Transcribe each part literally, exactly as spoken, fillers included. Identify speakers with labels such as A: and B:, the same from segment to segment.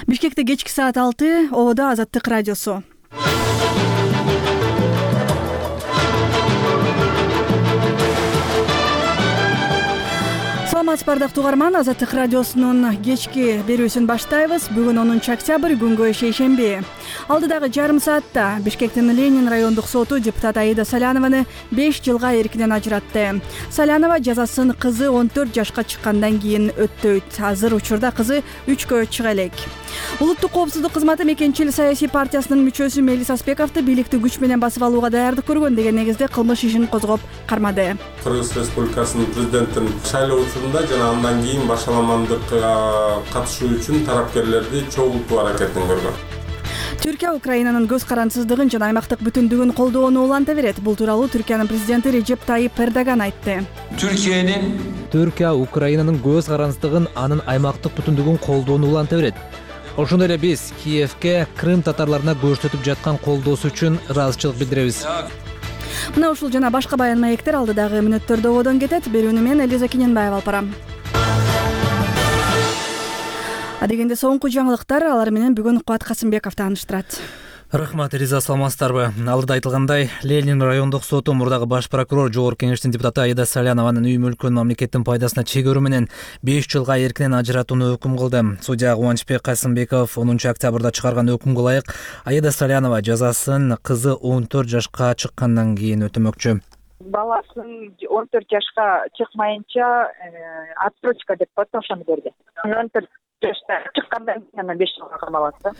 A: Бишкекте кечки саат алты, Ободо Азаттык радиосу. Саламатсызбы ардактуу угарман, Азаттык радиосунун кечки берүүсүн баштайбыз. Бүгүн онунчу октябрь, күнгө шейшемби. Алдыдагы жарым саатта Бишкектин Ленин райондук соту депутат Аида Салянованы беш жылга эркинен ажыратты. Салянова жазасын кызы он төрт жашка чыккандан кийин өттөйт. Азыр учурда кызы үчкө чыга элек. Улуттук коопсуздук кызматы Мекенчил саясий партиясынын мүчөсү Мелис Аспековду бийликти күч менен басып алууга даярдык көргөн деген негизде кылмыш ишин козгоп кармады.
B: Кыргыз Республикасынын президентин шайлоо учурунда жана андан кийин башаламандыкка катышуу үчүн тарапкерлерди чогултуу аракетин көргөн.
A: Түркия Украинанын көз карансыздыгын жана аймактык бүтүндүгүн колдоону уланта берет. Бул тууралуу Түркиянын президенти Режеп Тайип Эрдоган айтты.
C: Түркиянын Түркия Украинанын көз карансыздыгын, анын аймактык бүтүндүгүн колдоону уланта берет. Ошондой эле биз Киевке Крым татарларына көрсөтүп жаткан колдоосу үчүн ыраазычылык билдиребиз.
A: Мына ушул жана башка баян маектер алдыдагы мүнөттөрдө ободон кетет. Берүүнү мен Элиза Киненбаева алып барам. Адегенде соңку жаңылыктар, алар менен бүгүн Кубат Касымбеков тааныштырат.
D: Рахмат, Элиза, саламатсыздарбы? Алдыда айтылгандай, Ленин райондук соту мурдагы баш прокурор Жогорку Кеңештин депутаты Аида Салянованын үй мүлкүн мамлекеттин пайдасына чегөрүү менен беш жылга эркинен ажыратууну өкүм кылды. Судья Кубанычбек Касымбеков онунчу октябрда чыгарган өкүмгө ылайык Аида Салянова жазасын кызы он төрт жашка чыккандан кийин өтөмөкчү.
E: Баласын он төрт жашка чыкмайынча отсрочка деп коет, ошону берди. он төрт жашта чыккандан кийин беш жылга камалат да.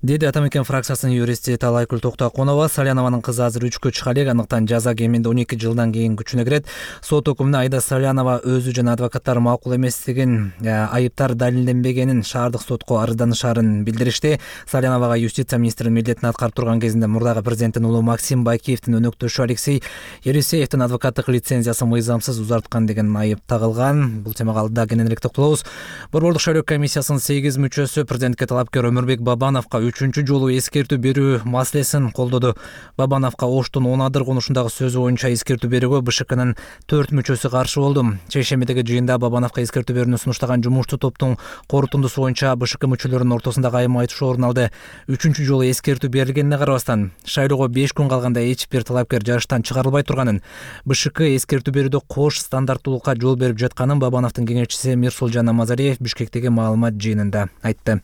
D: Деди Ата Мекен фракциясынын юристи Талайкүл Токтоконова. Салянованын кызы азыр үчкө чыга элек, андыктан жаза кеминде он эки жылдан кийин күчүнө кирет. Сот өкүмүнө Аида Салянова өзү жана адвокаттары макул эместигин, айыптар далилденбегенин шаардык сотко арызданышаарын билдиришти. Саляновага юстиция министринин милдетин аткарып турган кезинде мурдагы президенттин уулу Максим Бакиевдин өнөктөшү Алексей Елисеевдин адвокаттык лицензиясын мыйзамсыз узарткан деген айып тагылган. Бул темага алдыда кененирээк токтолобуз. Борбордук шайлоо комиссиясынын сегиз мүчөсү президентке талапкер Өмүрбек Бабановго үчүнчү жолу эскертүү берүү маселесин колдоду. Бабановго Оштун он адыр конушундагы сөзү боюнча эскертүү берүүгө БШКнын төрт мүчөсү каршы болду. Чейшембидеги жыйында Бабановго эскертүү берүүнү сунуштаган жумуштуу топтун корутундусу боюнча БШК мүчөлөрүнүн ортосунда айым айтышуу орун алды. Үчүнчү жолу эскертүү берилгенине карабастан, шайлоого беш күн калганда эч бир талапкер жарыштан чыгарылбай турганын, БШК эскертүү берүүдө кош стандарттуулукка жол берип жатканын Бабановдун кеңешчиси Мирсулжан Намазалиев Бишкектеги маалымат жыйынында айтты.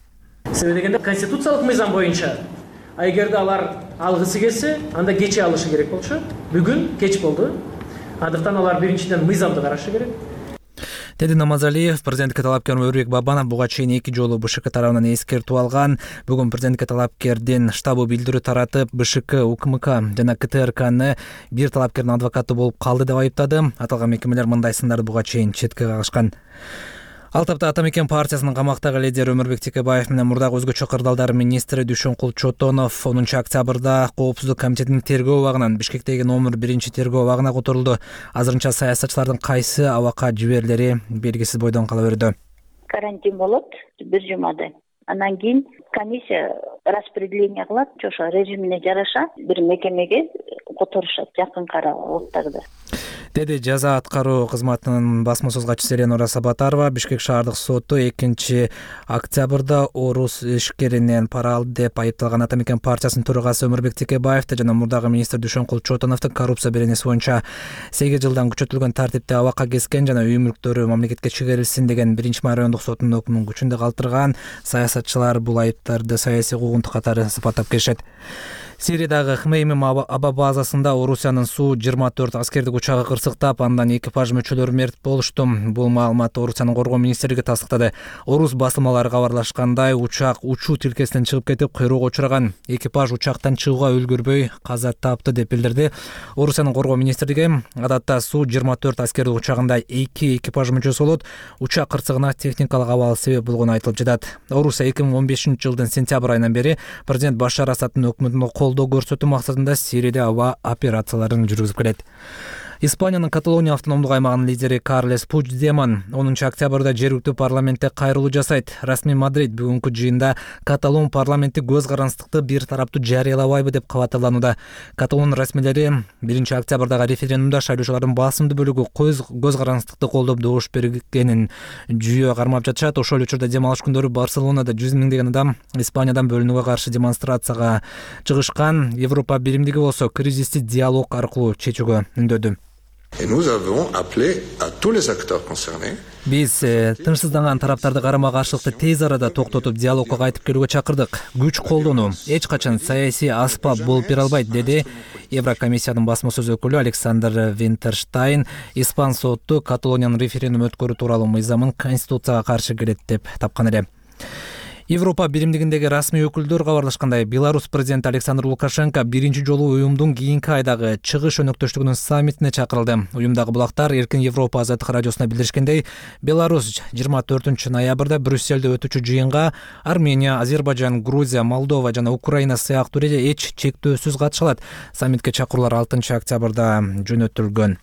F: Себеби дегенде конституциялык мыйзам боюнча эгерде алар алгысы келсе, анда кече алышы керек болчу. Бүгүн кеч болду. Андыктан алар биринчиден мыйзамды карашы керек.
D: Деди Намазалиев. Президентке талапкер Өмүрбек Бабанов буга чейин эки жолу БШК тарабынан эскертүү алган. Бүгүн президентке талапкердин штабы билдирүү таратып, БШК, УКМК жана КТРКны бир талапкердин адвокаты болуп калды деп айыптады. Аталган мекемелер мындай сындарды буга чейин четке кагышкан. Ал тапта Ата Мекен партиясынын камактагы лидери Өмүрбек Текебаев менен мурдагы өзгөчө кырдаалдар министри Дүйшөнкул Чотонов онунчу октябрда Коопсуздук комитетинин тергөө абагынан Бишкектеги номер биринчи тергөө абагына которулду. Азырынча саясатчылардын кайсы абакка жиберилери белгисиз бойдон кала берди.
G: Карантин болот бир жумада. Андан кийин комиссия распределение кылат, ошо режимине жараша бир мекемеге которушат жакынкы аралыктарда.
D: Деди жаза аткаруу кызматынын басма сөз катчысы Эленора Сабатарова. Бишкек шаардык соту экинчи октябрда орус ишкеринен пара алды деп айыпталган Ата Мекен партиясынын төрагасы Өмүрбек Текебаевди жана мурдагы министр Дүйшөнкул Чотоновду коррупция беренеси боюнча сегиз жылдан күчөтүлгөн тартипте абакка кескен жана үй мүлктөрү мамлекетке чыгарылсын деген биринчи май райондук сотунун өкүмүн күчүндө калтырган. Саясатчылар бул айыптарды саясий куугунтук катары сыпаттап келишет. Сириядагы Хмеймим аба базасында Орусиянын Су жыйырма төрт аскердик учагы кырсыктап, андан экипаж мүчөлөрү мерт болушту. Бул маалыматты Орусиянын коргоо министрлиги тастыктады. Орус басылмалары кабарлашкандай, учак учуу тилкесинен чыгып кетип, кыйроого учураган. Экипаж учактан чыгууга үлгүрбөй каза тапты деп билдирди. Орусиянын коргоо министрлиги адатта Су жыйырма төрт аскердик учагында эки экипаж мүчөсү болот. Учак кырсыгына техникалык абал себеп болгону айтылып жатат. Орусия эки миң он бешинчи жылдын сентябрь айынан бери президент Башар Асадтын өкмөтүнө колдоо көрсөтүү максатында Сирияда аба операцияларын жүргүзүп келет. Испаниянын Каталония автономдук аймагынын лидери Карлес Пучдемон онунчу октябрда жергиликтүү парламентте кайрылуу жасайт. Расмий Мадрид бүгүнкү жыйында Каталон парламенти көз карандыкты бир тараптуу жарыялабайбы деп кабатталууда. Каталон расмийлери биринчи октябрдагы референдумда шайлоочулардын басымдуу бөлүгү көз карандыкты колдоп добуш бергенин жүйө кармап жатышат. Ошол учурда дем алыш күндөрү Барселонада жүз миңдеген адам Испаниядан бөлүнүүгө каршы демонстрацияга чыгышкан. Европа биримдиги болсо кризисти диалог аркылуу чечүүгө үндөдү. Биз тынчсызданган тараптарды карама каршылыкты тез арада токтотуп диалогко кайтып келүүгө чакырдык. Күч колдонуу эч качан саясий аспап болуп бере албайт, деди Еврокомиссиянын басма сөз өкүлү Александр Винтерштайн. Испан соту Каталониянын референдум өткөрүү тууралуу мыйзамын конституцияга каршы келет деп тапкан эле. Европа биримдигиндеги расмий өкүлдөр кабарлашкандай, Беларусь президенти Александр Лукашенко биринчи жолу уюмдун кийинки айдагы чыгыш өнөктөштүгүнүн саммитине чакырылды. Уюмдагы булактар Эркин Европа азаттык радиосуна билдиришкендей, Беларусь жыйырма төртүнчү ноябрда Брюсселде өтүүчү жыйынга Армения, Азербайжан, Грузия, Молдова жана Украина сыяктуу эле эч чектөөсүз катыша алат. Саммитке чакыруулар алтынчы октябрда жөнөтүлгөн.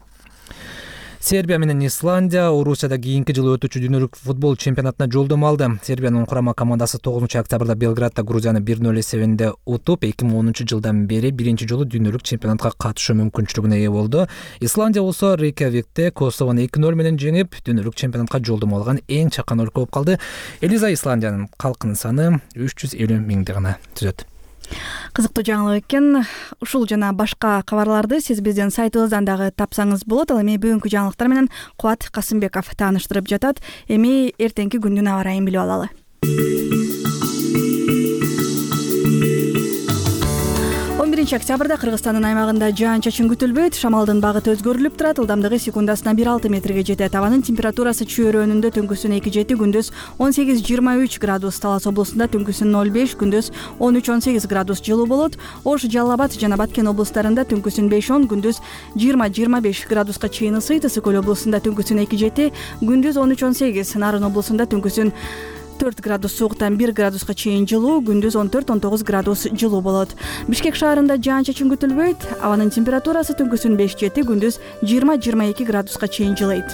D: Сербия менен Исландия Орусияда кийинки жылы өтүүчү дүйнөлүк футбол чемпионатына жолдомо алды. Сербиянын курама командасы тогузунчу октябрда Белградда Грузияны бир ноль эсебинде утуп, эки миң онунчу жылдан бери биринчи жолу дүйнөлүк чемпионатка катышуу мүмкүнчүлүгүнө ээ болду. Исландия болсо Рейкьявикте Косовону эки ноль менен жеңип, дүйнөлүк чемпионатка жолдомо алган эң чакан өлкө болуп калды. Элиза Исландиянын калкынын саны үч жүз элүү миңди гана түзөт.
A: Кызыктуу жаңылык экен. Ушул жана башка кабарларды сиз биздин сайтыбыздан дагы тапсаңыз болот. Ал эми бүгүнкү жаңылыктар менен Кубат Касымбеков тааныштырып жатат. Эми эртеңки күндүн аба ырайын билип алалы. он биринчи октябрда Кыргызстандын аймагында жаан-чачын күтүлбөйт. Шамалдын багыты өзгөрүлүп турат. Ылдамдыгы секундасына бир алты метрге жетет. Абанын температурасы чөйрөнүндө түнкүсүн эки жети, күндүз он сегиз жыйырма үч градус. Талас облусунда түнкүсүн ноль беш, күндүз он үч он сегиз градус жылуу болот. Ош, Жалал Абад жана Баткен облустарында түнкүсүн беш он, күндүз жыйырма жыйырма беш градуска чейин ысыйт. Ысык көл облусунда түнкүсүн эки жети, күндүз он үч он сегиз. Нарын облусунда түнкүсүн төрт градус сууктан бир градуска чейин жылуу, күндүз он төрт он тогуз градус жылуу болот. Бишкек шаарында жаан-чачын күтүлбөйт. Абанын температурасы түнкүсүн беш жети, күндүз жыйырма жыйырма эки градуска чейин жылыйт.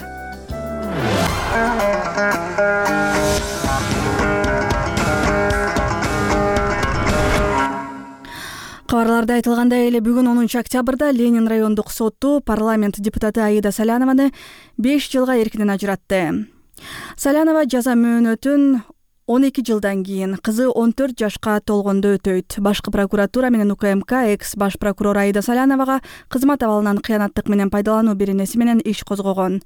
A: Кабарларда айтылгандай эле бүгүн онунчу октябрда Ленин райондук соту парламент депутаты Аида Салянованы беш жылга эркинен ажыратты. Салянова жаза мөөнөтүн он эки жылдан кийин кызы он төрт жашка толгондо өтөйт. Башкы прокуратура менен УКМК экс баш прокурор Аида Саляновага кызмат абалынан кыянаттык менен пайдалануу беренеси менен иш козгогон.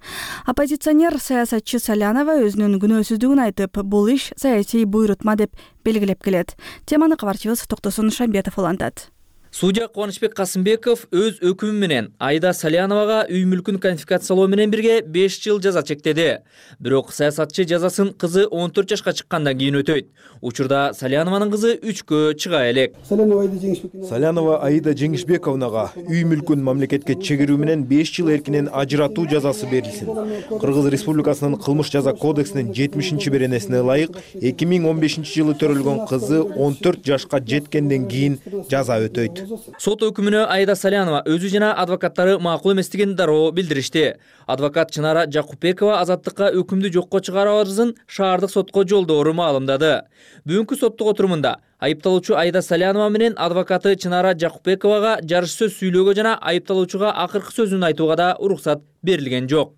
A: Оппозиционер саясатчы Салянова өзүнүн күнөөсүздүгүн айтып, бул иш саясий буйрутма деп белгилеп келет. Теманы кабарчыбыз Токтосун Шамбетов улантат.
H: Судья Кубанычбек Касымбеков өз өкүмү менен Аида Саляновага үй мүлкүн конфискациялоо менен бирге беш жыл жаза чектеди. Бирок саясатчы жазасын кызы он төрт жашка чыккандан кийин өтөйт. Учурда Салянованын кызы үчкө чыга элек.
I: Салянова Аида Жеңишбековнага үй мүлкүн мамлекетке чегирүү менен беш жыл эркинен ажыратуу жазасы берилсин. Кыргыз Республикасынын кылмыш жаза кодексинин жетимишинчи беренесине ылайык эки миң он бешинчи жылы төрөлгөн кызы он төрт жашка жеткенден кийин жаза өтөйт.
H: Сот өкүмүнө Аида Салянова өзү жана адвокаттары макул эместигин дароо билдиришти. Адвокат Чынара Жакупбекова азаттыкка өкүмдү жокко чыгаруу арызын шаардык сотко жолдоору маалымдады. Бүгүнкү соттук отурумунда айыпталуучу Аида Салянова менен адвокаты Чынара Жакупбековага жарыш сөз сүйлөөгө жана айыпталуучуга акыркы сөзүн айтууга да уруксат берилген жок.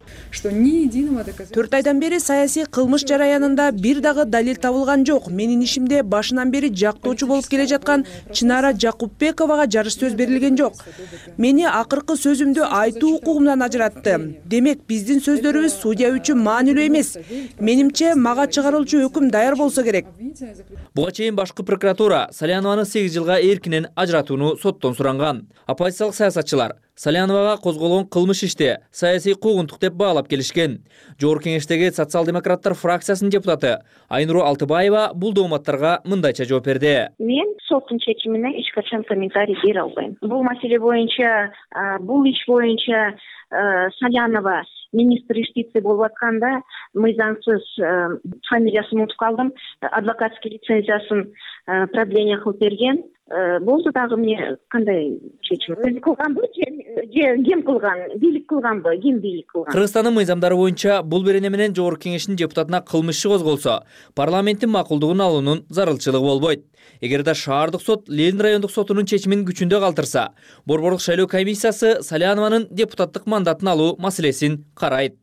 J: төрт айдан бери саясий кылмыш жараянында бир дагы далил табылган жок. Менин ишимде башынан бери жактоочу болуп келе жаткан Чынара Жакупбековага жарыш сөз берилген жок. Мени акыркы сөзүмдү айтуу укугумдан ажыратты. Демек, биздин сөздөрүбүз судья үчүн маанилүү эмес. Менимче, мага чыгарылчу өкүм даяр болсо керек.
H: Буга чейин башкы прокуратура Салянованы сегиз жылга эркинен ажыратууну соттон суранган. Оппозициялык саясатчылар Саляновага козголгон кылмыш иште саясий куугунтук деп баалап келишкен. Жогорку кеңештеги социал-демократтар фракциясынын депутаты Айнуру Алтыбаева бул дооматтарга мындайча жооп берди.
G: Мен соттун чечимине эч качан комментарий бере албайм. Бул маселе боюнча, бул иш боюнча Салянова министр юстиции болуп атканда мыйзамсыз фамилиясын унутуп калдым, адвокатский лицензиясын продление кылып берген. болду дагы эмне кандай чечим өзү кылганбы же ким кылган, бийлик кылганбы, ким бийлик кылган?
H: Кыргызстандын мыйзамдары боюнча бул берене менен Жогорку Кеңештин депутатына кылмыш иши козголсо, парламенттин макулдугун алуунун зарылчылыгы болбойт. Эгерде шаардык сот Ленин райондук сотунун чечимин күчүндө калтырса, Борбордук шайлоо комиссиясы Салянованын депутаттык мандатын алуу маселесин карайт.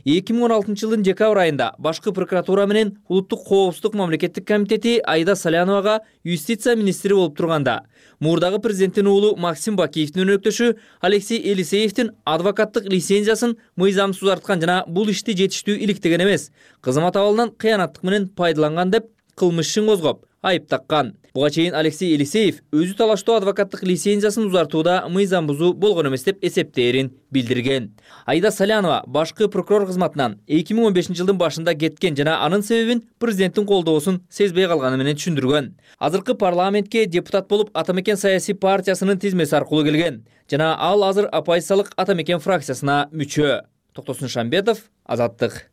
H: эки миң он алтынчы жылдын декабрь айында башкы прокуратура менен Улуттук коопсуздук мамлекеттик комитети Аида Саляновага юстиция министри болуп турганда, мурдагы президенттин уулу Максим Бакиевдин өнөктөшү Алексей Елисеевдин адвокаттык лицензиясын мыйзамсыз узарткан жана бул ишти жетиштүү иликтеген эмес, кызмат абалынан кыянаттык менен пайдаланган деп кылмыш ишин козгоп айып таккан. Буга чейин Алексей Елисеев өзү талаштуу адвокаттык лицензиясын узартууда мыйзам бузуу болгон эмес деп эсептээрин билдирген. Аида Салянова башкы прокурор кызматынан эки миң он бешинчи жылдын башында кеткен жана анын себебин президенттин колдоосун сезбей калганы менен түшүндүргөн. Азыркы парламентке депутат болуп Атамекен саясий партиясынын тизмеси аркылуу келген жана ал азыр оппозициялык Атамекен фракциясына мүчө. Токтосун Шамбетов, Азаттык.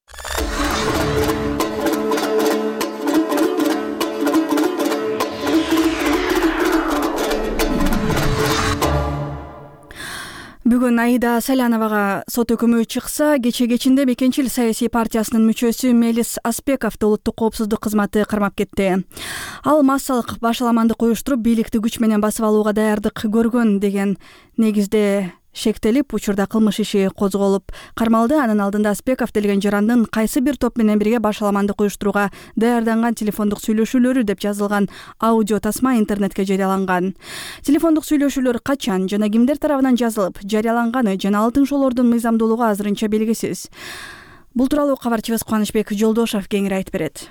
A: Бүгүн Аида Саляновага сот өкүмү чыкса, кече кечинде Мекенчил саясий партиясынын мүчөсү Мелис Аспековду улуттук коопсуздук кызматы кармап кетти. Ал массалык башаламандык уюштуруп, бийликти күч менен басып алууга даярдык көргөн деген негизде шектелип, учурда кылмыш иши козголуп кармалды. Анын алдында Аспеков делген жарандын кайсы бир топ менен бирге башаламандык уюштурууга даярданган телефондук сүйлөшүүлөрү деп жазылган аудио тасма интернетке жарыяланган. Телефондук сүйлөшүүлөр качан жана кимдер тарабынан жазылып жарыяланганы жана алтын шоолордун мыйзамдуулугу азырынча белгисиз. Бул тууралуу кабарчыбыз Кубанычбек Жолдошов кеңири айтып берет.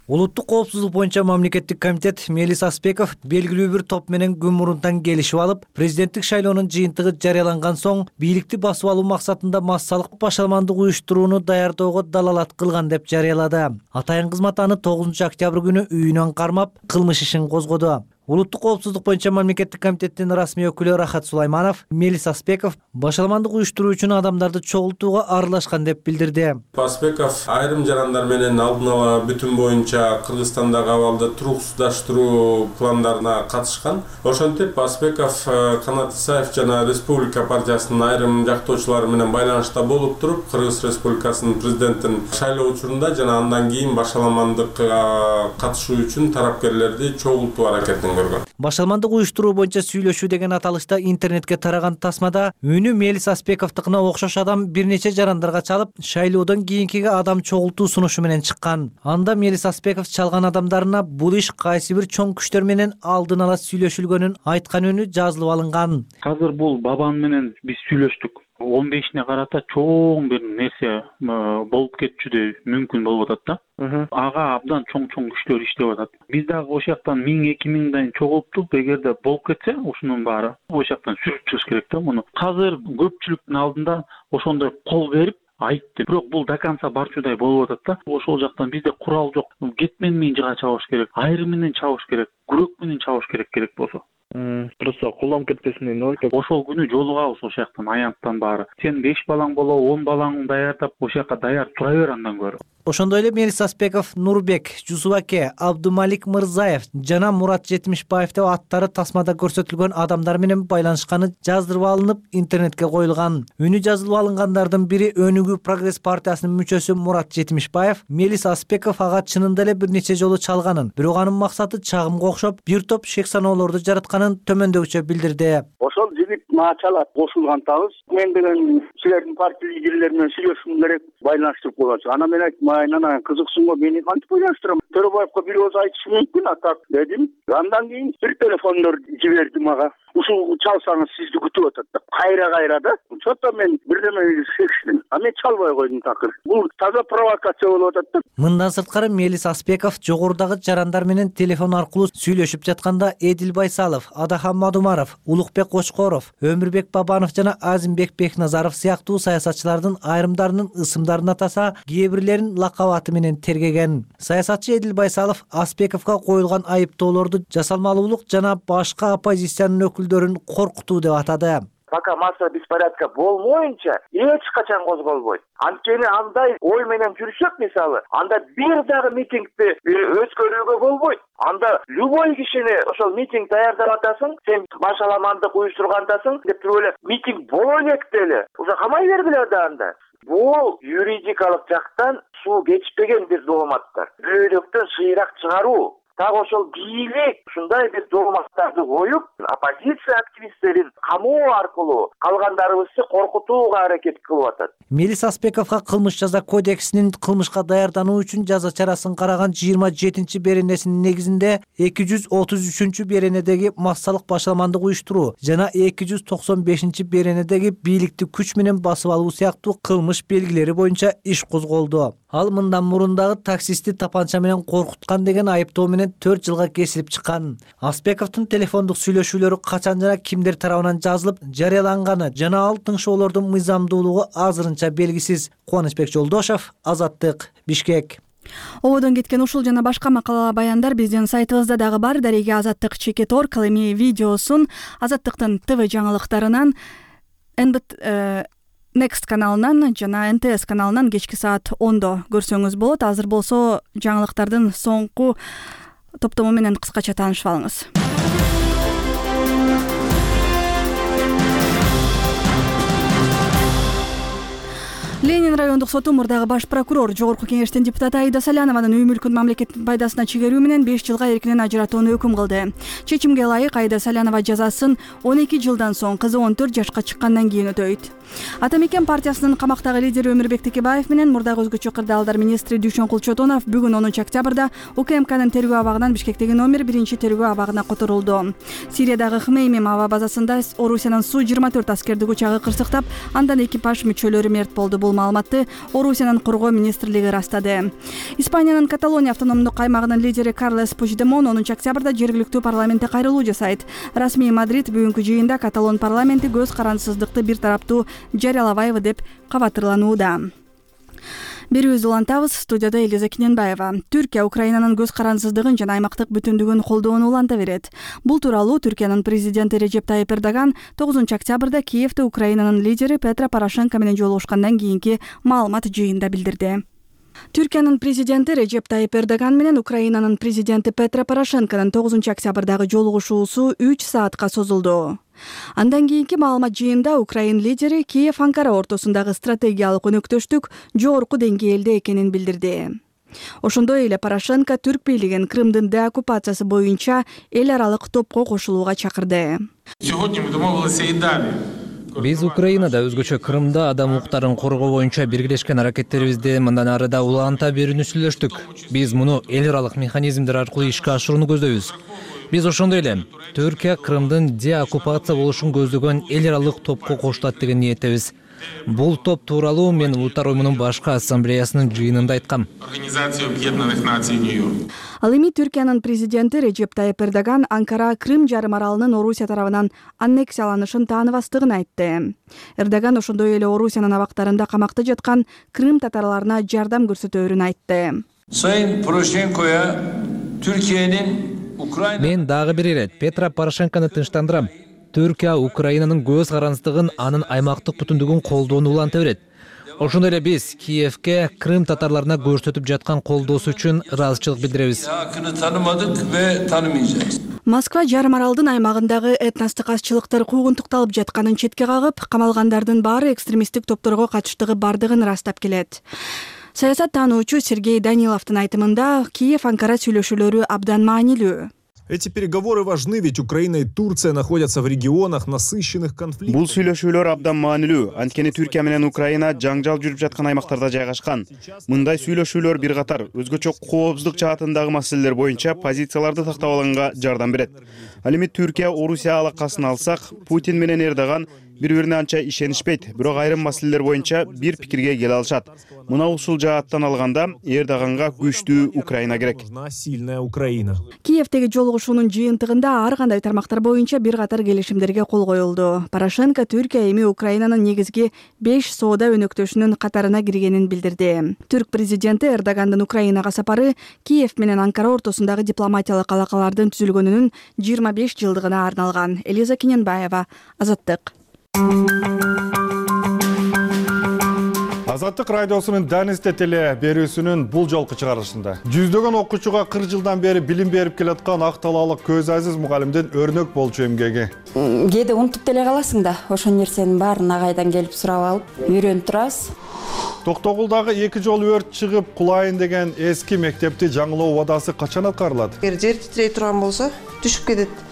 D: Улуттук коопсуздук боюнча мамлекеттик комитет Мелис Аспеков белгилүү бир топ менен күн мурунтан келишип алып, президенттик шайлоонун жыйынтыгы жарыяланган соң бийликти басып алуу максатында массалык башаламандык уюштурууну даярдоого далалат кылган деп жарыялады. Атайын кызмат аны тогузунчу октябрь күнү үйүнөн кармап, кылмыш ишин козгоду. Улуттук коопсуздук боюнча мамлекеттик комитеттин расмий өкүлү Рахат Сулайманов Мелис Аспеков башаламандык уюштуруу үчүн адамдарды чогултууга аралашкан деп билдирди.
B: Аспеков айрым жарандар менен алдын ала бүтүн боюнча Кыргызстандагы абалды туруксуздаштыруу пландарына катышкан. Ошентип Аспеков Канат Исаев жана Республика партиясынын айрым жактоочулары менен байланышта болуп туруп, Кыргыз Республикасынын президенттин шайлоо учурунда жана андан кийин башаламандыкка катышуу үчүн тарапкерлерди чогултуу аракетин
D: Башаламандык уюштуруу боюнча сүйлөшүү деген аталышта интернетке тараган тасмада үнү Мелис Аспековдукуна окшош адам бир нече жарандарга чалып, шайлоодон кийинкиге адам чогултуу сунушу менен чыккан. Анда Мелис Аспеков чалган адамдарына бул иш кайсы бир чоң күчтөр менен алдын ала сүйлөшүлгөнүн айткан үнү жазылып алынган.
K: Азыр бул бабам менен биз сүйлөштүк. он бешине карата чоң бир нерсе болуп кетчү мүмкүн болуп атат да. Ага абдан чоң-чоң күчтөр иштеп атат. Биз дагы ошол жактан миң эки миңден чогулуптук. Эгерде болуп кетсе, ушунун баары ошол жактан сүрүп чыгыш керек да муну. Азыр көпчүлүктүн алдында ошондой кол берип айтты. Бирок бул до конца барчудай болуп атат да. Ошол жактан бизде курал жок. Кетмен менен жыга чабыш керек, айрым менен чабыш керек, күрөк менен чабыш керек керек болсо. Просто колдонуп кетпесин дейм да. Ошол күнү жолугабыз ошол жактан аянттан баары. Сен беш балаң болобу, он балаңды даярдап ошол жака даяр тура бер андан көрө.
D: Ошондой эле Мелис Аспеков, Нурбек, Жусубаке, Абдумалик Мырзаев жана Мурат Жетимишбаев деп аттары тасмада көрсөтүлгөн адамдар менен байланышканы жаздырып алынып, интернетке коюлган. Үнү жазылып алынгандардын бири Өнүгүү Прогресс партиясынын мүчөсү Мурат Жетимишбаев, Мелис Аспеков ага чынында эле бир нече жолу чалганын, бирок анын максаты чагымга окшоп бир топ шек саноолорду жаратканын төмөндөгүчө билдирди.
L: Ошол жигит мага чалат, кошулгантабыз. Мен деген силердин партия лидерлери менен сүйлөшүшүм керек, байланыштырып коелучу. Ана мен айттым, айнана кызыксыңбы, мени кантип байланыштырам? Төрөбаевка бир өз айтышы мүмкүн, а так дедим. Андан кийин бир телефондор жиберди мага. Ушул чалсаңыз сизди күтүп атат деп. Кайра-кайра да. Чотто мен бирдеме шекиштим. А мен чалбай койдум такыр. Бул таза провокация болуп атат да.
D: Мындан сырткары Мелис Аспеков жогорудагы жарандар менен телефон аркылуу сүйлөшүп жатканда Эдил Байсалов, Адахан Мадумаров, Улукбек Кочкоров, Өмүрбек Бабанов жана Азимбек Бекназаров сыяктуу саясатчылардын айрымдарынын ысымдарын атаса, кээ бирлерин лакабаты менен тергеген. Саясатчы Эдил Байсалов Аспековго коюлган айыптоолорду жасалмалуулук жана башка оппозициянын өкүлдөрүн коркутуу деп атады.
M: Пока масса беспорядка болмоюнча эч качан козголбойт. Анткени андай ой менен жүрсөк, мисалы, анда бир дагы митингди өткөрүүгө болбойт. Анда любой кишини ошол митинг даярдап атасың, сен башаламандык уюштургандасың деп туруп эле митинг боло элек деле. Уже камай бергиле да анда. Бул юридикалык жактан суу кечпеген бир дооматтар. Бөөдөктөн шыйрак чыгаруу. Так ошол бийлик ушундай бир дооматтарды коюп, оппозиция активисттерин камоо аркылуу калгандарыбызды коркутууга аракет кылып атат.
N: Мелис Аспековго кылмыш жаза кодексинин кылмышка даярдануу үчүн жаза чарасын караган жыйырма жетинчи беренесинин негизинде эки жүз отуз үчүнчү беренедеги массалык башаламандык уюштуруу жана эки жүз токсон бешинчи беренедеги бийликти күч менен басып алуу сыяктуу кылмыш белгилери боюнча иш козголду. Ал мындан мурун дагы таксистти тапанча менен коркуткан деген айыптоо менен төрт жылга кесилип чыккан. Аспековдун телефондук сүйлөшүүлөрү качан жана кимдер тарабынан жазылып, жарыяланганы жана ал тыңшоолордун мыйзамдуулугу азырынча белгисиз. Кубанычбек Жолдошов, Азаттык, Бишкек.
A: Ободон кеткен ушул жана башка макала баяндар биздин сайтыбызда дагы бар. Дареге Азаттык чекит точка орг. Ал эми видеосун Азаттыктын ТВ жаңылыктарынан Next каналынан жана эн тэ эс каналынан кечки саат ондо көрсөңүз болот. Азыр болсо жаңылыктардын соңку топтому менен кыскача таанышып алыңыз. Ленин райондук соту мурдагы баш прокурор, жогорку кеңештин депутаты Аида Салянованын үй мүлкүн мамлекеттин пайдасына чегерүү менен беш жылга эркинен ажыратууну өкүм кылды. Чечимге ылайык Аида Салянова жазасын он эки жылдан соң кызы он төрт жашка чыккандан кийин өтөйт. Ата Мекен партиясынын камактагы лидери Өмүрбек Текебаев менен мурдагы өзгөчө кырдаалдар министри Дүйшөнкул Чотонов бүгүн онунчу октябрда УКМКнын тергөө абагынан Бишкектеги номер биринчи тергөө абагына которулду. Сириядагы Хмеймим аба базасында Орусиянын Су жыйырма төрт аскердик учагы кырсыктап, андан экипаж мүчөлөрү мерт болду. Бул маалыматты Орусиянын коргоо министрлиги ырастады. Испаниянын Каталония автономдук аймагынын лидери Карлес Пучдемон онунчу октябрда жергиликтүү парламентте кайрылуу жасайт. Расмий Мадрид бүгүнкү жыйында Каталон парламенти көз карансыздыкты бир тараптуу жарыялабайбы деп кабатырланууда. Берүүбүздү улантабыз. Студияда Элиза Киненбаева. Түркия Украинанын көз карансыздыгын жана аймактык бүтүндүгүн колдоону уланта берет. Бул тууралуу Түркиянын президенти Режеп Тайип Эрдоган тогузунчу октябрда Киевде Украинанын лидери Петро Порошенко менен жолугушкандан кийинки маалымат жыйында билдирди. Түркиянын президенти Режеп Тайип Эрдоган менен Украинанын президенти Петро Порошенконун тогузунчу октябрдагы жолугушуусу үч саатка созулду. Андан кийинки маалымат жыйында Украин лидери Киев-Анкара ортосундагы стратегиялык өнөктөштүк жогорку деңгээлде экенин билдирди. Ошондой эле Порошенко түрк бийлигин Крымдын деоккупациясы боюнча эл аралык топко кошулууга чакырды.
C: Биз Украинада өзгөчө Крымда адам укуктарын коргоо боюнча биргелешкен аракеттерибизди мындан ары да уланта берүүнү сүйлөштүк. Биз муну эл аралык механизмдер аркылуу ишке ашырууну көздөйбүз. Биз ошондой эле Түркия Крымдын деоккупация болушун көздөгөн эл аралык топко кошулат деген ниеттебиз. Бул топ тууралуу мен Улуттар уюмунун башкы ассамблеясынын жыйынында айткам.
A: Ал эми Түркиянын президенти Режеп Тайип Эрдоган Анкара Крым жарым аралынын Орусия тарабынан аннексияланышын тааныбастыгын айтты. Эрдоган ошондой эле Орусиянын абактарында камакта жаткан Крым татарларына жардам көрсөтөөрүн айтты.
O: Sayın Poroshenko'ya Türkiye'nin
C: Мен дагы бир ирет Петро Порошенкону тынчтандырам. Түркия Украинанын көз карансыздыгын, анын аймактык бүтүндүгүн колдоону уланта берет. Ошондой эле биз Киевке Крым татарларына көрсөтүп жаткан колдоосу үчүн ыраазычылык билдиребиз.
A: Москва жарым аралдын аймагындагы этностук азчылыктар куугунтукталып жатканын четке кагып, камалгандардын баары экстремисттик топторго катыштыгы бардыгын ырастап келет. Саясат таануучу Сергей Даниловдун айтымында Киев-Анкара сүйлөшүүлөрү абдан маанилүү.
I: Эти переговоры важны, ведь Украина и Турция находятся в регионах насыщенных конфликтов.
P: Бул сүйлөшүүлөр абдан маанилүү. Анткени Түркия менен Украина жаңжал жүрүп жаткан аймактарда жайгашкан. Мындай сүйлөшүүлөр бир катар өзгөчө коопсуздук жаатындагы маселелер боюнча позицияларды тактап алганга жардам берет. Ал эми Түркия Орусия алакасын алсак, Путин менен Эрдоган бири-бирине анча ишенишпейт, бирок айрым маселелер боюнча бир пикирге келе алышат. Мына ушул жааттан алганда Эрдоганга күчтүү Украина керек.
I: Сильная Украина.
A: Киевдеги жолугушуунун жыйынтыгында ар кандай тармактар боюнча бир катар келишимдерге кол коюлду. Порошенко Түркия эми Украинанын негизги беш соода өнөктөшүнүн катарына киргенин билдирди. Түрк президенти Эрдогандын Украинага сапары Киев менен Анкара ортосундагы дипломатиялык алакалардын түзүлгөнүнүн жыйырма беш жылдыгына арналган. Элиза Киненбаева, Азаттык.
Q: Азаттык радиосунун Данисте теле берүүсүнүн бул жолку чыгарылышында жүздөгөн окуучуга кырк жылдан бери билим берип келаткан ак талаалык Көз Азиз мугалимдин өрнөк болчу эмгеги.
R: Кээде унутуп деле каласың да, ошол нерсенин баарын агайдан келип сурап алып, үйрөнүп турасыз.
Q: Токтогулдагы эки жолу өрт чыгып кулайын деген эски мектепти жаңылоо убадасы качан аткарылат?
S: Эгер жер титрей турган болсо, түшүп кетет.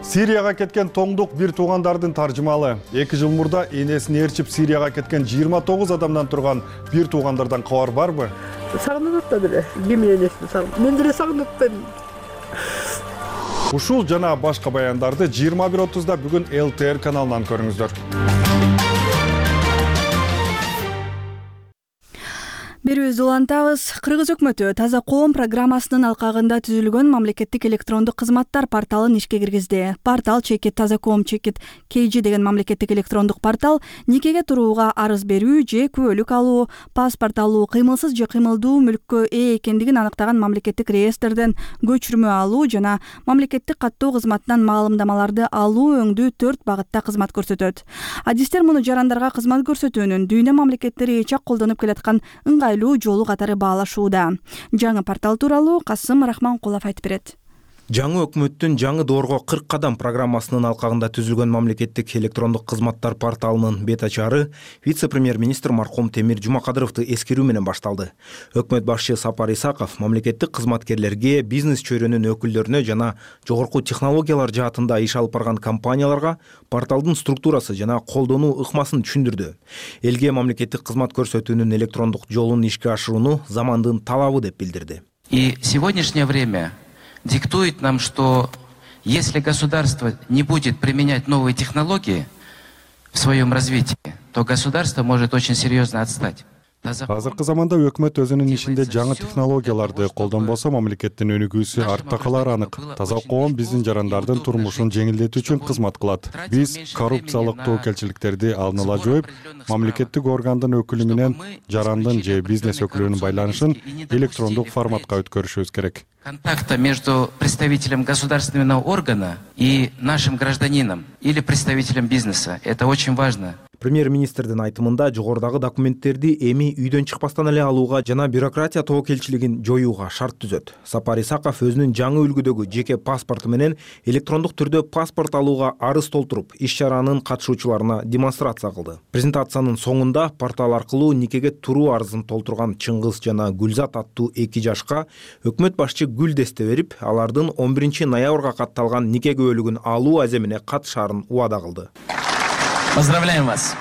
Q: Сирияга кеткен тоңдук бир туугандардын таржымалы. эки жыл мурда энесин ээрчип Сирияга кеткен жыйырма тогуз адамдан турган бир туугандардан кабар барбы?
S: Сагынып атат эле. Кимдин энесин сагынып. Мен деле сагынып атпаймын.
Q: Ушул жана башка баяндарды жыйырма бир отузда бүгүн эл тэ эр каналынан көрүңүздөр.
A: Берүүбүздү улантабыз. Кыргыз өкмөтү Таза коом программасынын алкагында түзүлгөн мамлекеттик электрондук кызматтар порталын ишке киргизди. Портал чекит Таза коом чекит кей джи деген мамлекеттик электрондук портал никеге турууга арыз берүү же күбөлүк алуу, паспорт алуу, кыймылсыз же кыймылдуу мүлккө ээ экендигин аныктаган мамлекеттик реестрден көчүрмө алуу жана мамлекеттик каттоо кызматынан маалымдамаларды алуу өңдүү төрт багытта кызмат көрсөтөт. Адистер муну жарандарга кызмат көрсөтүүнүн дүйнө мамлекеттери эч ак колдонуп келаткан ыңгайлуу жолу катары баалашууда. Жаңы портал тууралуу Касым Рахманкулов айтып берет.
I: Жаңы өкмөттүн жаңы доорго кырк кадам программасынын алкагында түзүлгөн мамлекеттик электрондук кызматтар порталынын бет ачары вице-премьер-министр марком Темир Жумакадыровду эскерүү менен башталды. Өкмөт башчы Сапар Исаков мамлекеттик кызматкерлерге, бизнес чөйрөнүн өкүлдөрүнө жана жогорку технологиялар жаатында иш алып барган компанияларга порталдын структурасы жана колдонуу ыкмасын түшүндүрдү. Элге мамлекеттик кызмат көрсөтүүнүн электрондук жолун ишке ашырууну замандын талабы деп билдирди.
T: И сегодняшнее время диктует нам, что если государство не будет применять новые технологии в своем развитии, то государство может очень серьезно отстать.
Q: Азыркы заманда өкмөт өзүнүн ишинде жаңы технологияларды колдонбосо мамлекеттин өнүгүүсү артта калары анык. Таза коом биздин жарандардын турмушун жеңилдетүү үчүн кызмат кылат. Биз коррупциялык тобокелчиликтерди алдын ала жоюп, мамлекеттик органдын өкүлү менен жарандын же бизнес өкүлүнүн байланышын электрондук форматка өткөрүшүбүз керек.
T: Контакта между представителем государственного органа и нашим гражданином или представителем бизнеса. Это очень важно.
I: Премьер-министрдин айтымында жогорудагы документтерди эми үйдөн чыкпастан эле алууга жана бюрократия тобокелчилигин жоюуга шарт түзөт. Сапар Исаков өзүнүн жаңы үлгүдөгү жеке паспорту менен электрондук түрдө паспорт алууга арыз толтуруп, иш чаранын катышуучуларына демонстрация кылды. Презентациянын соңунда портал аркылуу никеге туруу арызын толтурган Чыңгыз жана Гүлзат аттуу эки жашка өкмөт башчы гүл десте берип, алардын он биринчи ноябрга катталган нике күбөлүгүн алуу аземине катышаарын убада кылды.
T: Поздравляем вас.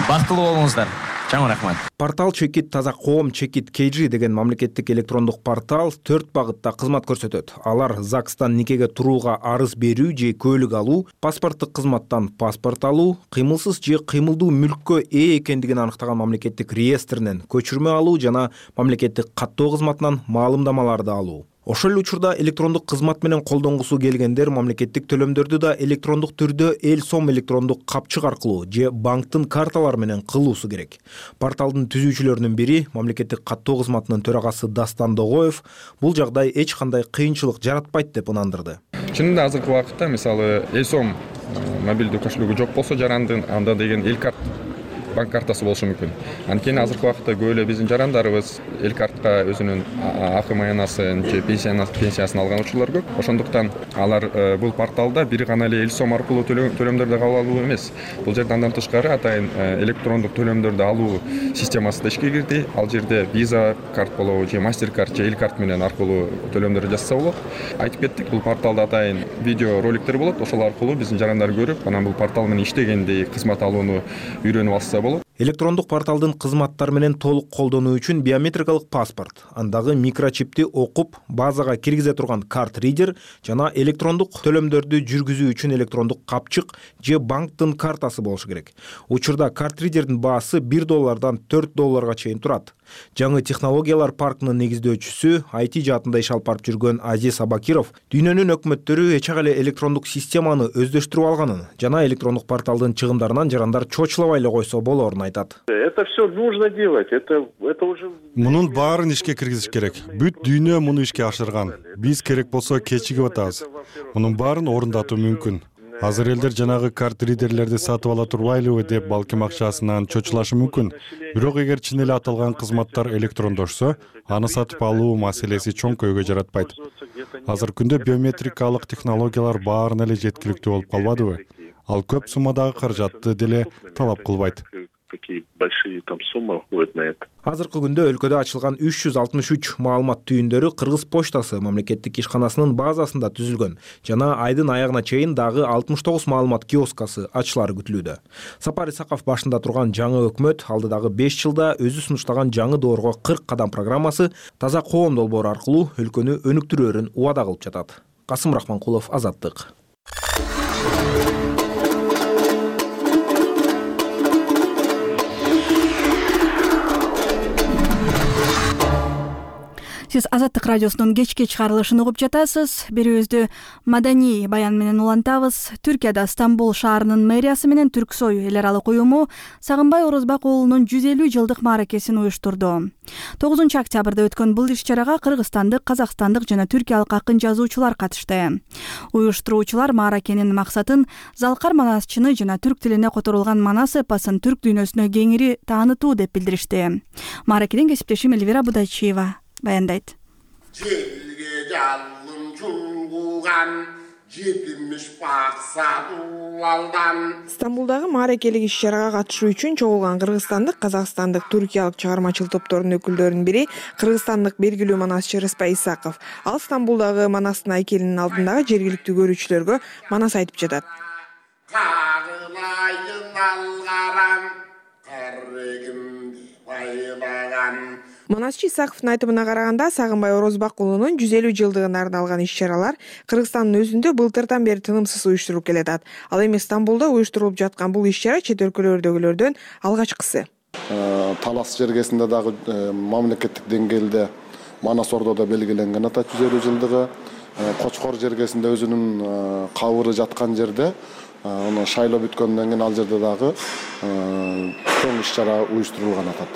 T: Бактылуу болуңуздар. Чоң рахмат.
I: Портал чекит Таза коом чекит кей джи деген мамлекеттик электрондук портал төрт багытта кызмат көрсөтөт. Алар ЗАГСтан никеге турууга арыз берүү же күбөлүк алуу, паспорттук кызматтан паспорт алуу, кыймылсыз же кыймылдуу мүлккө ээ экендигин аныктаган мамлекеттик реестринен көчүрмө алуу жана мамлекеттик каттоо кызматынан маалымдамаларды алуу. Ошол эле учурда электрондук кызмат менен колдонгусу келгендер мамлекеттик төлөмдөрдү да электрондук түрдө эл сом электрондук капчык аркылуу же банктын карталары менен кылуусу керек. Порталдын түзүүчүлөрүнүн бири мамлекеттик каттоо кызматынын төрагасы Дастан Догоев бул жагдай эч кандай кыйынчылык жаратпайт деп ынандырды.
U: Чынында азыркы убакытта мисалы эл сом мобилдүү кошелегү жок болсо жарандын анда деген эл карт банк картасы болушу мүмкүн. Анткени азыркы убакытта көп эле биздин жарандарыбыз эл картка өзүнүн акы маянасын же пенсиясын алган учурлар көп. Ошондуктан алар бул порталда бир гана эле эл сом аркылуу төлөмдөрдү кабыл алуу эмес. Бул жерде андан тышкары атайын электрондук төлөмдөрдү алуу системасы да ишке кирди. Ал жерде виза карт болобу же мастер карт же эл карт менен аркылуу төлөмдөрдү жасаса болот. Айтып кеттик, бул порталда атайын видео роликтер болот. Ошол аркылуу биздин жарандар көрүп, анан бул портал менен иштегенди, кызмат алууну үйрөнүп алса.
I: Электрондук порталдын кызматтары менен толук колдонуу үчүн биометрикалык паспорт, андагы микрочипти окуп, базага киргизе турган карт ридер жана электрондук төлөмдөрдү жүргүзүү үчүн электрондук капчык же банктын картасы болушу керек. Учурда карт ридердин баасы бир доллардан төрт долларга чейин турат. Жаңы технологиялар паркынын негиздөөчүсү, ай ти жаатында иш алып барып жүргөн Азиз Абакиров дүйнөнүн өкмөттөрү эч ак эле электрондук системаны өздөштүрүп алганын жана электрондук порталдын чыгымдарынан жарандар чочулабай эле койсо болорун айтат.
V: Это все нужно делать. Это это уже
Q: Мунун баарын ишке киргизиш керек. Бүт дүйнө муну ишке ашырган. Биз керек болсо кечигип атабыз. Мунун баарын орундатуу мүмкүн. Азыр элдер жанагы карт ридерлерди сатып ала турбайлыбы деп балким акчасынан чочулашы мүмкүн. Бирок эгер чын эле аталган кызматтар электрондошсо, аны сатып алуу маселеси чоң көйгөй жаратпайт. Азыркы күндө биометрикалык технологиялар баарына эле жеткиликтүү болуп калбадыбы? Ал көп суммадагы каражатты деле талап кылбайт.
V: Большие там суммы уходят на это.
I: Азыркы күндө өлкөдө ачылган үч жүз алтымыш үч маалымат түйүндөрү Кыргыз почтасы мамлекеттик ишканасынын базасында түзүлгөн жана айдын аягына чейин дагы алтымыш тогуз маалымат киоскасы ачылары күтүлүүдө. Сапар Исаков башында турган жаңы өкмөт алдыдагы беш жылда өзү сунуштаган жаңы доорго кырк кадам программасы таза коом долбоору аркылуу өлкөнү өнүктүрөөрүн убада кылып жатат. Касым Рахманкулов, Азаттык.
A: Сиз Азаттык радиосунун кечки чыгарылышын угуп жатасыз. Берүүбүздү маданий баян менен улантабыз. Түркияда Стамбул шаарынын мэриясы менен Түрксой эл аралык уюму Сагынбай Орозбак уулунун жүз элүү жылдык мааракесин уюштурду. тогузунчу октябрда өткөн бул иш-чарага кыргызстандык, казакстандык жана түркиялык акын жазуучулар катышты. Уюштуруучулар мааракенин максатын залкар манасчыны жана түрк тилине которулган манас эпосун түрк дүйнөсүнө кеңири таанытуу деп билдиришти. Мааракеден кесиптешим Элвира Будайчиева баяндайт.
E: Жерге жалын чулгуган жетимиш баксадуулалдан.
J: Стамбулдагы мааракелик иш-чарага катышуу үчүн чогулган кыргызстандык, казакстандык, түркиялык чыгармачыл топторунун өкүлдөрүнүн бири кыргызстандык белгилүү манасчы Рыспай Исаков. Ал Стамбулдагы манастын айкелинин алдындагы жергиликтүү көрүүчүлөргө манас айтып жатат.
E: Кагылайын алгарам, карегимди байлаган.
J: Манасчы Исаковдун айтымына караганда, Сагынбай Орозбак уулунун жүз элүү жылдыгына арналган иш-чаралар Кыргызстандын өзүндө былтырдан бери тынымсыз уюштуруп келатат. Ал эми Стамбулда уюштурулуп жаткан бул иш-чара чет өлкөлөрдөгүлөрдөн алгачкысы.
F: Талас жергесинде дагы мамлекеттик деңгээлде Манас Ордодо белгиленген ата жүз элүү жылдыгы, Кочкор жергесинде өзүнүн кабыры жаткан жерде, аны шайлоо бүткөндөн кийин ал жерде дагы чоң иш-чара уюштурулган атат.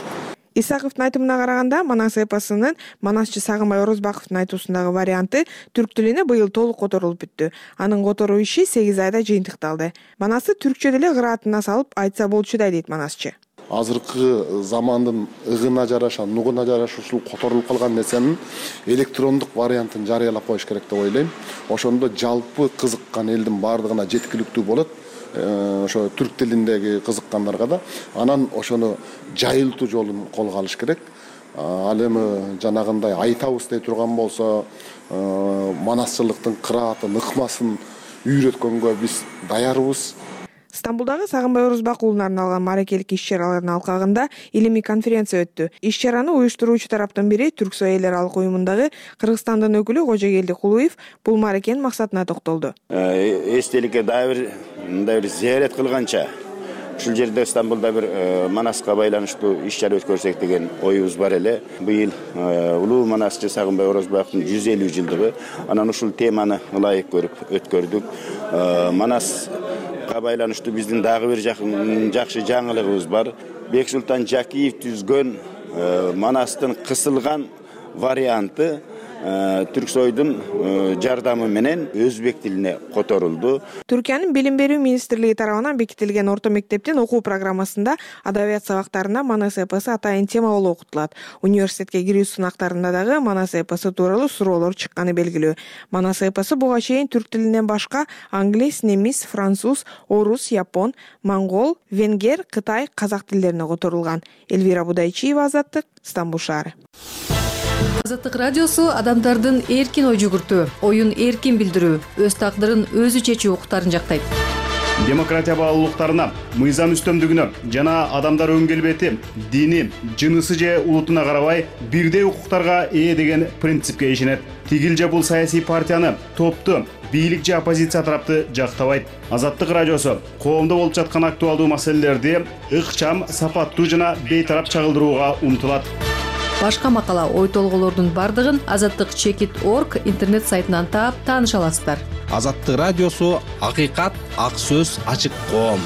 J: Исаковдун айтымына караганда, манас эпосунун манасчы Сагынбай Орозбаковдун айтуусундагы варианты түрк тилине быйыл толук которулуп бүттү. Анын которуу иши сегиз айда жыйынтыкталды. Манасы түркчө деле кыраатына салып айтса болчудай дейт манасчы.
F: Азыркы замандын ыгына жараша, нугуна жараша ушул которулуп калган нерсенин электрондук вариантын жарыялап коюш керек деп ойлойм. Ошондо жалпы кызыккан элдин баардыгына жеткиликтүү болот. Ошо түрк тилиндеги кызыккандарга да анан ошону жайылтуу жолун колго алыш керек. Ал эми жанагындай айтабыз дей турган болсо, манасчылыктын кыраатын, ыкмасын үйрөткөнгө биз даярбыз.
J: Стамбулдагы Сагынбай Орозбак уулуна арналган мааракелик иш-чаралардын алкагында илимий конференция өттү. Иш-чараны уюштуруучу тараптын бири Түрксой эл аралык уюмундагы Кыргызстандын өкүлү Кожогелди Кулуев бул мааракенин максатына токтолду.
W: Эстеликке дагы бир мындай бир зиярат кылганча ушул жерде Стамбулда бир манаска байланыштуу иш-чара өткөрсөк деген оюбуз бар эле. Быйыл улуу манасчы Сагынбай Орозбактын жүз элүү жылдыгы, анан ушул теманы ылайык көрүп өткөрдүк. Манас байланыштуу биздин дагы бир жакшы жаңылыгыбыз бар. Бексултан Жакиев түзгөн манастын кысылган варианты Түрксойдун жардамы менен өзбек тилине которулду.
J: Түркиянын билим берүү министрлиги тарабынан бекитилген орто мектептин окуу программасында адабият сабактарында манас эпосу атайын тема болуп окутулат. Университетке кирүү сынактарында дагы манас эпосу тууралуу суроолор чыкканы белгилүү. Манас эпосу буга чейин түрк тилинен башка англис, немис, француз, орус, япон, монгол, венгер, кытай, казак тилдерине которулган. Элвира Будайчиева, Азаттык, Стамбул шаары.
X: Азаттык радиосу адамдардын эркин ой жүгүртүү, оюн эркин билдирүү, өз тагдырын өзү чечүү укуктарын жактайт.
P: Демократия баалуулуктарына, мыйзам үстөмдүгүнө жана адамдар өң келбети, дини, жынысы же улутуна карабай бирдей укуктарга ээ деген принципке ишенет. Тигил же бул саясий партияны, топту, бийлик же оппозиция тарапты жактабайт. Азаттык радиосу коомдо болуп жаткан актуалдуу маселелерди ыкчам, сапаттуу жана бейтарап чагылдырууга умтулат.
X: Башка макала, ой толголордун бардыгын азаттык чекит точка орг интернет сайтынан таап тааныша аласыздар.
Y: Азаттык радиосу акыйкат, ак сөз, ачык коом.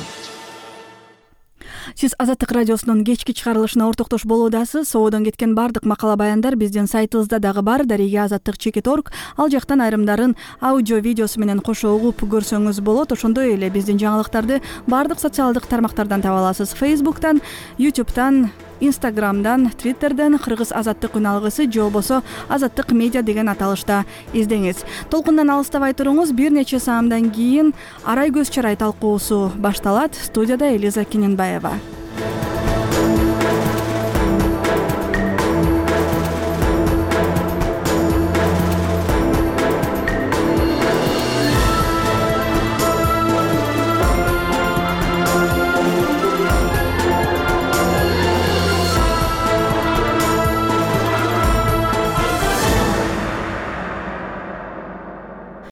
A: Сиз Азаттык радиосунун кечки чыгарылышына ортоктош болуудасыз. Соодон кеткен бардык макала баяндар биздин сайтыбызда дагы бар, дареге азаттык чекит орг. Ал жактан айрымдарын аудио видеосу менен кошо угуп көрсөңүз болот. Ошондой эле биздин жаңылыктарды бардык социалдык тармактардан таба аласыз. Facebook'тан, YouTube'тан, Instagram'дан, Twitter'ден Кыргыз азаттык үн алгысы же болбосо Азаттык медиа деген аталышта издеңиз. Толкундан алыстабай туруңуз. Бир нече саамдан кийин Арай көз чарай талкуусу башталат. Студияда Элиза Кененбаева.